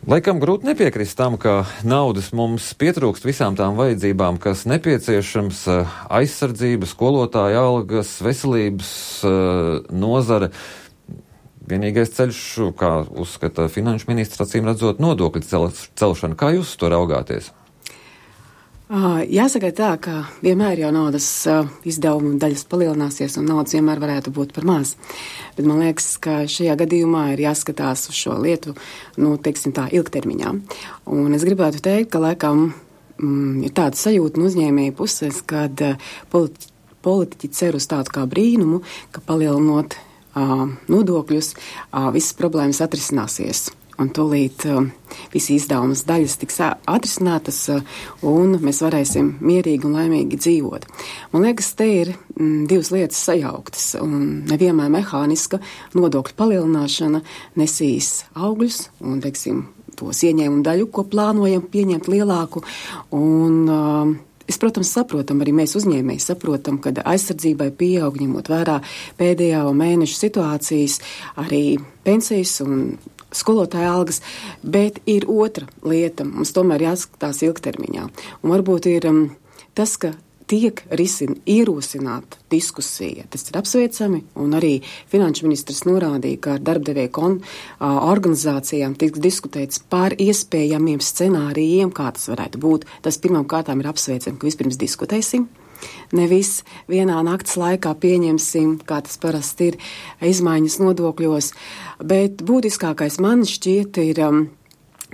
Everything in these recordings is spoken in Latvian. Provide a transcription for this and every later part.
Laikam grūti nepiekrist tam, ka naudas mums pietrūkst visām tām vajadzībām, kas nepieciešams - aizsardzība, skolotāja algas, veselības nozare. Vienīgais ceļš, kā uzskata finanšu ministrs, acīm redzot, nodokļu celšana. Kā jūs to raugāties? Jāsaka tā, ka vienmēr jau naudas izdevumu daļas palielināsies un naudas vienmēr varētu būt par maz. Bet man liekas, ka šajā gadījumā ir jāskatās uz šo lietu, teiksim tā, ilgtermiņā. Un es gribētu teikt, ka laikam ir tāda sajūta no uzņēmēju puses, kad politiķi cer uz tādu kā brīnumu, ka palielinot nodokļus, visas problēmas atrisināsies. Un tūlīt visi izdevumas daļas tiks atrisinātas, un mēs varēsim mierīgi un laimīgi dzīvot. Man liekas, te ir divas lietas sajauktas, un nevienmēr mehāniska nodokļu palielināšana nesīs augļus, un, teiksim, tos ieņēmumu daļu, ko plānojam pieņemt lielāku, un es, protams, saprotam, arī mēs uzņēmēji saprotam, ka aizsardzībai pieaug, ņemot vērā pēdējā mēneša situācijas, arī pensijas un skolotāja algas, bet ir otra lieta. Mums tomēr jāskatās ilgtermiņā. Un varbūt ir tas, ka tiek ierosināta diskusija. Tas ir apsveicami, un arī finanšu ministrs norādīja, ka ar darbdevēju organizācijām tiks diskutēts par iespējamiem scenārijiem, kā tas varētu būt. Tas pirmām kārtām ir apsveicami, ka vispirms diskutēsim. Nevis vienā naktas laikā pieņemsim, kā tas parasti ir, izmaiņas nodokļos, bet būtiskākais man šķiet ir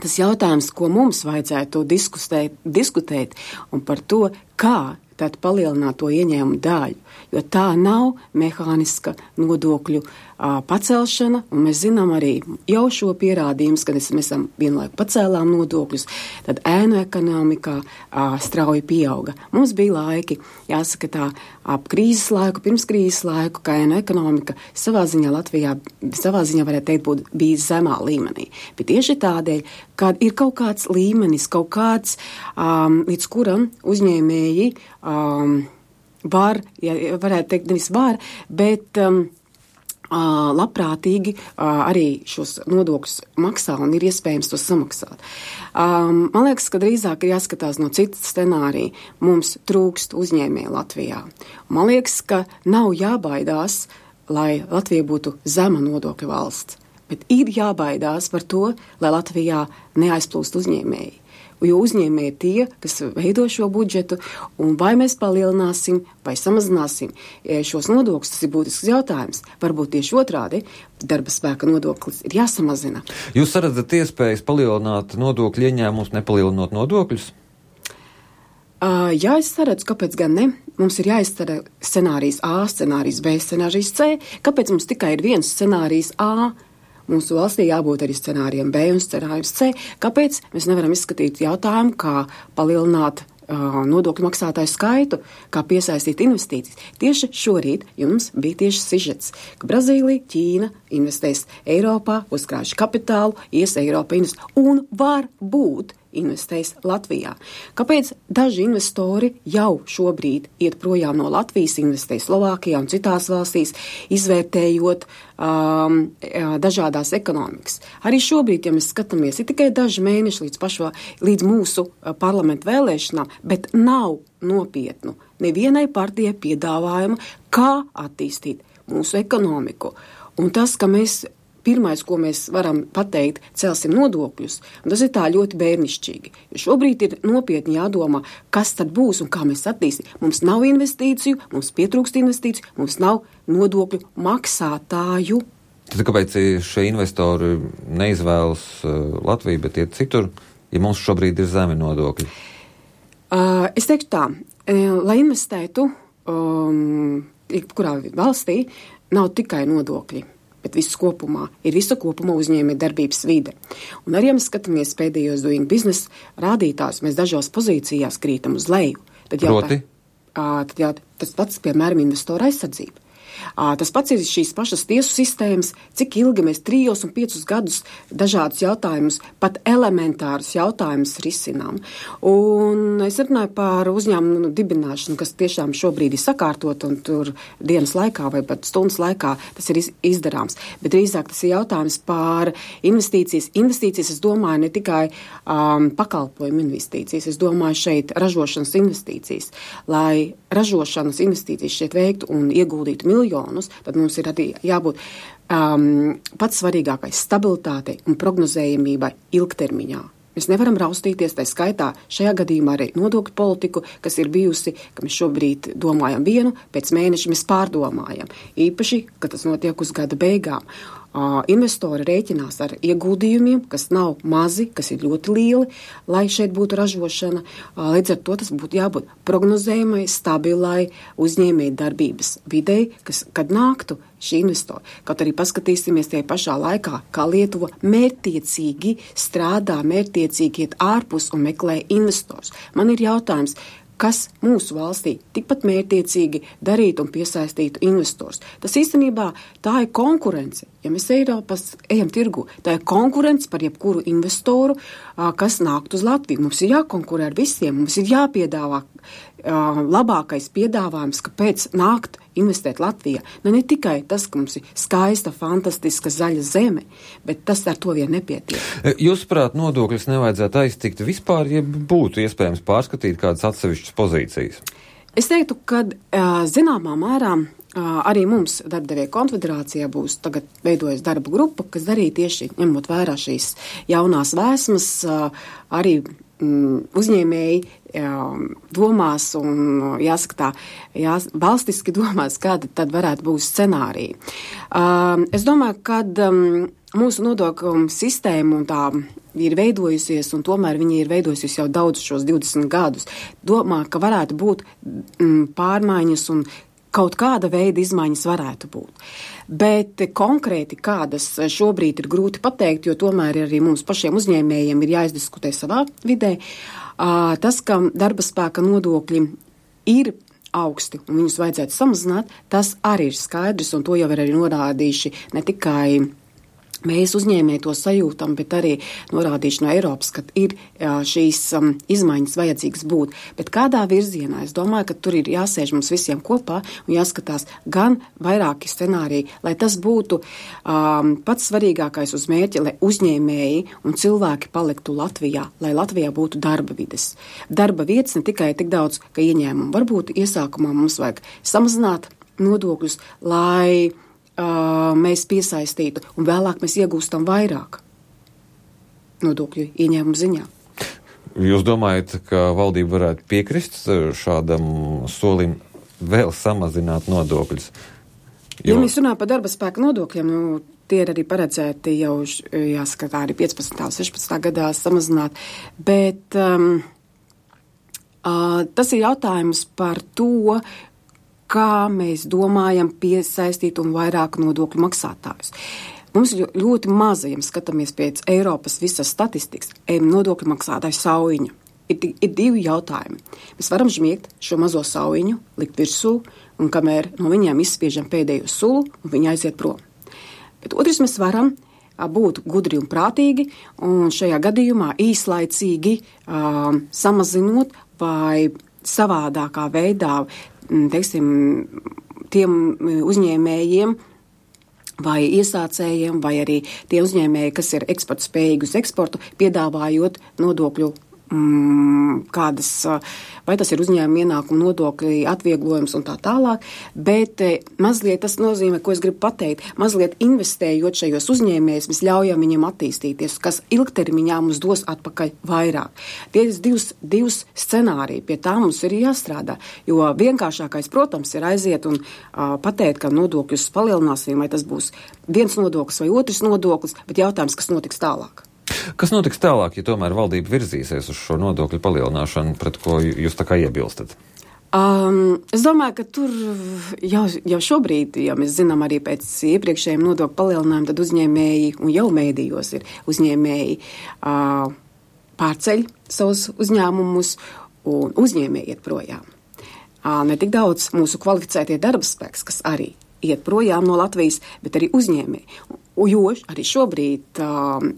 tas jautājums, ko mums vajadzētu diskutēt un par to, kā tad palielināt to ieņēmumu daļu, jo tā nav mehāniska nodokļu pacelšana, un mēs zinām arī jau šo pierādījumus, kad mēs esam vienlaiku pacēlām nodokļus, tad ēnu ekonomikā strauji pieauga. Mums bija laiki, jāsaka tā, ap krīzes laiku, pirms krīzes laiku, ka ēnu ekonomika savā ziņā Latvijā, varētu teikt, bija zemā līmenī. Bet tieši tādēļ, kad ir kaut kāds līmenis, kaut kāds, līdz kuram uzņēmēji var, ja varētu teikt, nevis var, bet labprātīgi arī šos nodokļus maksā un ir iespējams to samaksāt. Man liekas, ka drīzāk ir jāskatās no citas scenārija. Mums trūkst uzņēmēju Latvijā. Man liekas, ka nav jābaidās, lai Latvija būtu zema nodokļu valsts, bet ir jābaidās par to, lai Latvijā neaizplūst uzņēmēji. Jo uzņēmēji ir tie, kas veido šo budžetu, un vai mēs palielināsim vai samazināsim šos nodokļus, tas ir būtisks jautājums. Varbūt tieši otrādi, darba spēka nodoklis ir jāsamazina. Jūs redzat iespējas palielināt nodokļu ieņēmumus, nepalielinot nodokļus? Jā, es saredzu, kāpēc gan ne. Mums ir jāiztara scenārijs A, scenārijs B, scenārijs C. Kāpēc mums tikai ir viens scenārijs A? Mūsu valstī jābūt arī scenārijiem B un scenārijiem C. Kāpēc mēs nevaram izskatīt jautājumu, kā palielināt nodokļu maksātāju skaitu, kā piesaistīt investīcijas? Tieši šorīt jums bija tieši sižets, ka Brazīlija, Ķīna investēs Eiropā, uzkrājuši kapitālu, Eiropa investēs un var būt investēs Latvijā. Kāpēc daži investori jau šobrīd iet projām no Latvijas, investē Slovākijā un citās valstīs, izvērtējot dažādās ekonomikas? Arī šobrīd, ja mēs skatāmies, ir tikai daži mēneši līdz mūsu parlamentu vēlēšanām, bet nav nopietnu nevienai partijai piedāvājumu, kā attīstīt mūsu ekonomiku. Un tas, ka pirmais, ko mēs varam pateikt, celsim nodokļus, un tas ir tā ļoti bērnišķīgi. Jo šobrīd ir nopietni jādomā, kas tad būs un kā mēs attīstīsim. Mums nav investīciju, mums pietrūkst investīciju, mums nav nodokļu maksātāju. Tad kāpēc šie investori neizvēlas Latviju, bet iet citur, ja mums šobrīd ir zemi nodokļi? Es teiktu tā, lai investētu kurā valstī, nav tikai nodokļi, bet visu kopumā ir visu kopumā uzņēmēja darbības vide. Un arī, ja mēs skatāmies pēdējos doing business rādītājus, mēs dažās pozīcijās krītam uz leju. Tas pats, piemēram, investora aizsardzība. Tas pats ir šīs pašas tiesu sistēmas, cik ilgi mēs 3 un 5 gadus dažādus jautājumus, pat elementārus jautājumus risinām. Un es runāju par uzņēmumu dibināšanu, kas tiešām šobrīd ir sakārtot un tur dienas laikā vai pat stundas laikā tas ir izdarāms. Bet drīzāk tas ir jautājums par investīcijas. Investīcijas, es domāju, ne tikai pakalpojumu investīcijas, es domāju šeit ražošanas investīcijas. Lai ražošanas investīcijas šeit veiktu un ieguldītu miljonus, tad mums ir arī jābūt pats svarīgākais stabilitātei un prognozējamībai ilgtermiņā. Mēs nevaram raustīties, tā skaitā šajā gadījumā arī nodokļu politiku, kas ir bijusi, ka mēs šobrīd domājam vienu, pēc mēneša mēs pārdomājam. Īpaši, ka tas notiek uz gada beigām. Investori rēķinās ar ieguldījumiem, kas nav mazi, kas ir ļoti lieli, lai šeit būtu ražošana. Līdz ar to tas būtu jābūt prognozējumai, stabilai uzņēmēju darbības videi, kad nāktu šī investori. Kaut arī paskatīsimies tie pašā laikā, kā Lietuva mērķtiecīgi strādā, mērķtiecīgi iet ārpus un meklē investors. Man ir jautājums, kas mūsu valstī tikpat mērķtiecīgi darītu un piesaistītu investors. Tas īstenībā tā ir konkurence. Ja mēs Eiropas ejam tirgu, tā ir konkurence par jebkuru investoru, kas nākt uz Latviju. Mums ir jākonkurē ar visiem, mums ir jāpiedāvā labākais piedāvājums, kāpēc nākt investēt Latvijā. Ne tikai tas, ka mums ir skaista, fantastiska zaļa zeme, bet tas ar to vien nepietiek. Jūsuprāt, nodokļus nevajadzētu aiztikt vispār, ja būtu iespējams pārskatīt kādas atsevišķas pozīcijas? Es teiktu, ka zināmā mērā arī mums darbdevēja konfederācijā būs tagad veidojas darba grupa, kas darīja tieši ņemot vērā šīs jaunās vēsmas, arī uzņēmēji domās un jāsaka tā, valstiski domās, kāda tad varētu būt scenārija. Es domāju, ka mūsu nodokļu sistēma un tā ir veidojusies, un tomēr viņa ir veidojusies jau daudz šos 20 gadus. Domā, ka varētu būt pārmaiņas un kaut kāda veida izmaiņas varētu būt. Bet konkrēti kādas šobrīd ir grūti pateikt, jo tomēr arī mums pašiem uzņēmējiem ir jāizdiskutē savā vidē. Tas, ka darba spēka nodokļi ir augsti un viņus vajadzētu samazināt, tas arī ir skaidrs, un to jau ir arī norādījuši ne tikai mēs uzņēmēji to sajūtam, bet arī norādījuši no Eiropas, ka ir šīs izmaiņas vajadzīgas būt. Bet kādā virzienā? Es domāju, ka tur ir jāsēž mums visiem kopā un jāskatās gan vairāki scenāriji, lai tas būtu pats svarīgākais uz mērķi, lai uzņēmēji un cilvēki paliktu Latvijā, lai Latvijā būtu darba vides. Darba vietas ne tikai tik daudz, ka ieņēmumu. Varbūt iesākumā mums vajag samazināt nodokļus, lai mēs piesaistītu, un vēlāk mēs iegūstam vairāk nodokļu ieņēmumu ziņā. Jūs domājat, ka valdība varētu piekrist šādam solim vēl samazināt nodokļus? Ja mēs runājam par darba spēka nodokļiem, tie ir arī paredzēti jau, jāskatā, arī 15. un 16. gadā samazināt, bet tas ir jautājums par to, kā mēs domājam piesaistīt un vairāk nodokļu maksātājus. Mums ir ļoti maza, ja skatāmies pēc Eiropas visas statistikas, nodokļu maksātāju saujiņa. Ir divi jautājumi. Mēs varam žmiegt šo mazo saujiņu, likt virsū, un kamēr no viņiem izspiežam pēdējo sulu, un viņi aiziet prom. Bet otrs, mēs varam būt gudri un prātīgi, un šajā gadījumā īslaicīgi samazinot vai savādākā veidā, teiksim, tiem uzņēmējiem vai iesācējiem, vai arī tie uzņēmēji, kas ir eksporta spējīgi uz eksportu, piedāvājot nodokļu kādas, vai tas ir uzņēmuma ienākuma nodokļi, atvieglojums un tā tālāk, bet mazliet tas nozīmē, ko es gribu pateikt, mazliet investējot šajos uzņēmējus, mēs ļaujam viņiem attīstīties, kas ilgtermiņā mums dos atpakaļ vairāk. Tie ir divs scenāriji, pie tā mums ir jāstrādā, jo vienkāršākais, protams, ir aiziet un pateikt, ka nodokļus palielināsim, vai tas būs viens nodoklis vai otrs nodoklis, bet jautājums, kas notiks tālāk. Kas notiks tālāk, ja tomēr valdība virzīsies uz šo nodokļu palielināšanu, pret ko jūs tā kā iebilstat? Es domāju, ka tur jau šobrīd, ja mēs zinām arī pēc iepriekšējiem nodokļu palielinājumiem, tad uzņēmēji, un jau mēdījos ir uzņēmēji, pārceļ savus uzņēmumus un uzņēmēji iet projām. Ne tik daudz mūsu kvalificētie darba spēks, kas arī iet projām no Latvijas, bet arī uzņēmēji. Jo arī šobrīd,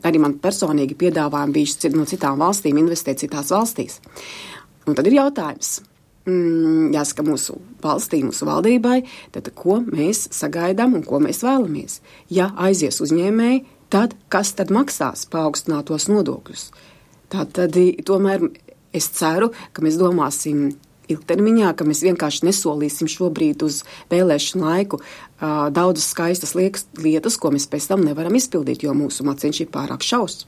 arī man personīgi piedāvājumi bijuši no citām valstīm investēt citās valstīs. Un tad ir jautājums, jāsaka mūsu valstī, mūsu valdībai, tad ko mēs sagaidām un ko mēs vēlamies. Ja aizies uzņēmēji, tad kas tad maksās paaugstinātos nodokļus? Tātad tomēr es ceru, ka mēs domāsim ilgtermiņā, ka mēs vienkārši nesolīsim šobrīd uz vēlēšanu laiku daudzas skaistas lietas, ko mēs pēc tam nevaram izpildīt, jo mūsu maciņš ir pārāk šaurs.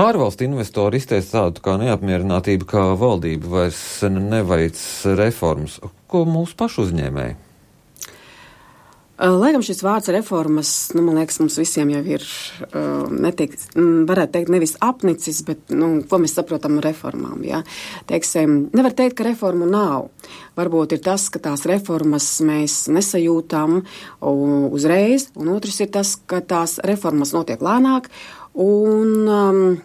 Ārvalstu investori izteica tādu kā neapmierinātību, kā valdība vairs neveic reformas. Ko mūsu pašu uzņēmēji? Laikam šis vārds reformas, man liekas, mums visiem jau ir, varētu teikt, nevis apnicis, bet, ko mēs saprotam reformām, ja? Teiksim, nevar teikt, ka reformu nav. Varbūt ir tas, ka tās reformas mēs nesajūtam uzreiz, un otrs ir tas, ka tās reformas notiek lēnāk, un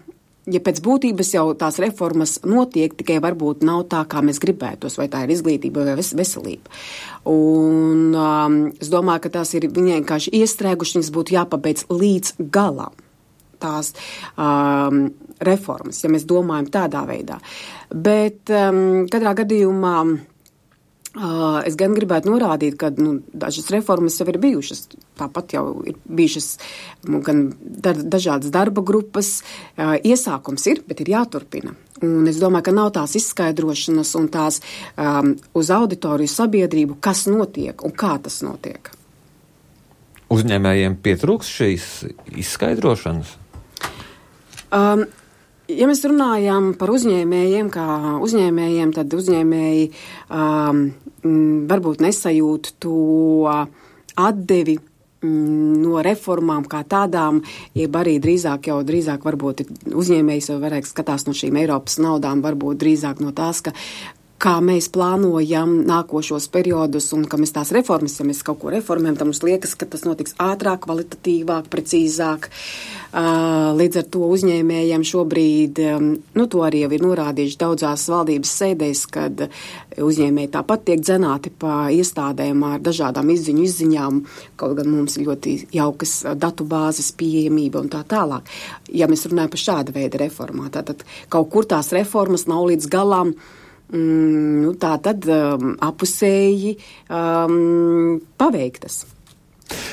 ja pēc būtības jau tās reformas notiek, tikai varbūt nav tā, kā mēs gribētos, vai tā ir izglītība vai veselība. Un es domāju, ka tās ir viņai vienkārši iestrēguši, viņas būtu jāpabeidz līdz galam. Tās reformas, ja mēs domājam tādā veidā. Bet katrā gadījumā es gan gribētu norādīt, ka dažas reformas jau ir bijušas. Tāpat jau ir bijušas gan dažādas darba grupas. Iesākums ir, bet ir jāturpina. Un es domāju, ka nav tās izskaidrošanas un tās uz auditoriju sabiedrību, kas notiek un kā tas notiek. Uzņēmējiem pietrūks šīs izskaidrošanas? Ja mēs runājam par uzņēmējiem, kā uzņēmējiem, tad uzņēmēji varbūt nesajūt to atdevi no reformām kā tādām, jeb arī drīzāk varbūt uzņēmējs jau varētu skatās no šīm Eiropas naudām, varbūt drīzāk no tās, kā mēs plānojam nākošos periodus un ka mēs tās reformas, ja mēs kaut ko reformējam, tad mums liekas, ka tas notiks ātrāk, kvalitatīvāk, precīzāk. Līdz ar to uzņēmējiem šobrīd, to arī jau ir norādījuši daudzās valdības sēdēs, kad uzņēmēji tāpat tiek dzenāti pa iestādēm ar dažādām izziņām, kaut gan mums ir ļoti jaukas datu bāzes pieejamība un tā tālāk. Ja mēs runājam par šāda veida reformā, tātad kaut kur tās reformas nav līdz galam, tā tad apusēji paveiktas.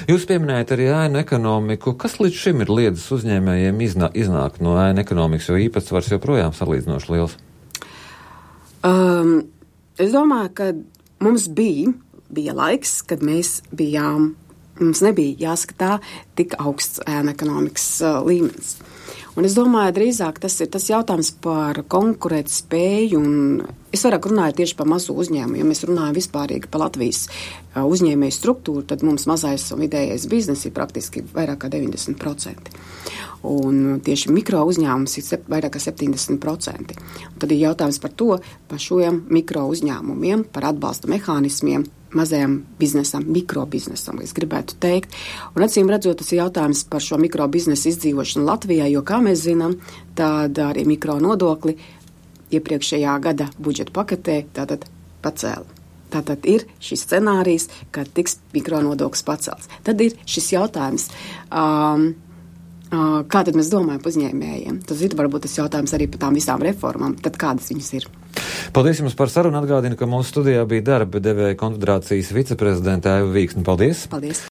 Jūs pieminējat arī ēnu ekonomiku. Kas līdz šim ir liedzis uzņēmējiem iznākt no ēnu ekonomikas, jo īpatsvars joprojām salīdzinoši liels? Es domāju, ka mums bija laiks, kad mums nebija jāskatā tik augsts ēnu ekonomikas līmenis. Un es domāju, drīzāk tas ir tas jautājums par konkurēt spēju, un es vairāk runāju tieši par mazo uzņēmumu. Ja mēs runājam vispārīgi par Latvijas uzņēmēju struktūru, tad mums mazais un vidējais biznes ir praktiski vairāk kā 90%. Un tieši mikro uzņēmums ir vairāk kā 70%. Un tad ir jautājums par to, par šiem mikro uzņēmumiem, par atbalsta mehānismiem, mazajam biznesam, mikrobiznesam, es gribētu teikt. Un acīm redzot, tas ir jautājums par šo mikrobiznesu izdzīvošanu Latvijā, jo, kā mēs zinām, tad arī mikronodokli iepriekšējā gada budžeta paketē tātad pacēla. Tātad ir šis scenārijs, kad tiks mikronodoklis pacelts. Tad ir šis jautājums, kā tad mēs domājam par uzņēmējiem. Tas ir varbūt tas jautājums arī par tām visām reformām, tad kādas viņas ir. Paldies jums par sarunu. Atgādinu, ka mūsu studijā bija darba devēja konfederācijas viceprezidente Aiva Vīksne. Paldies! Paldies!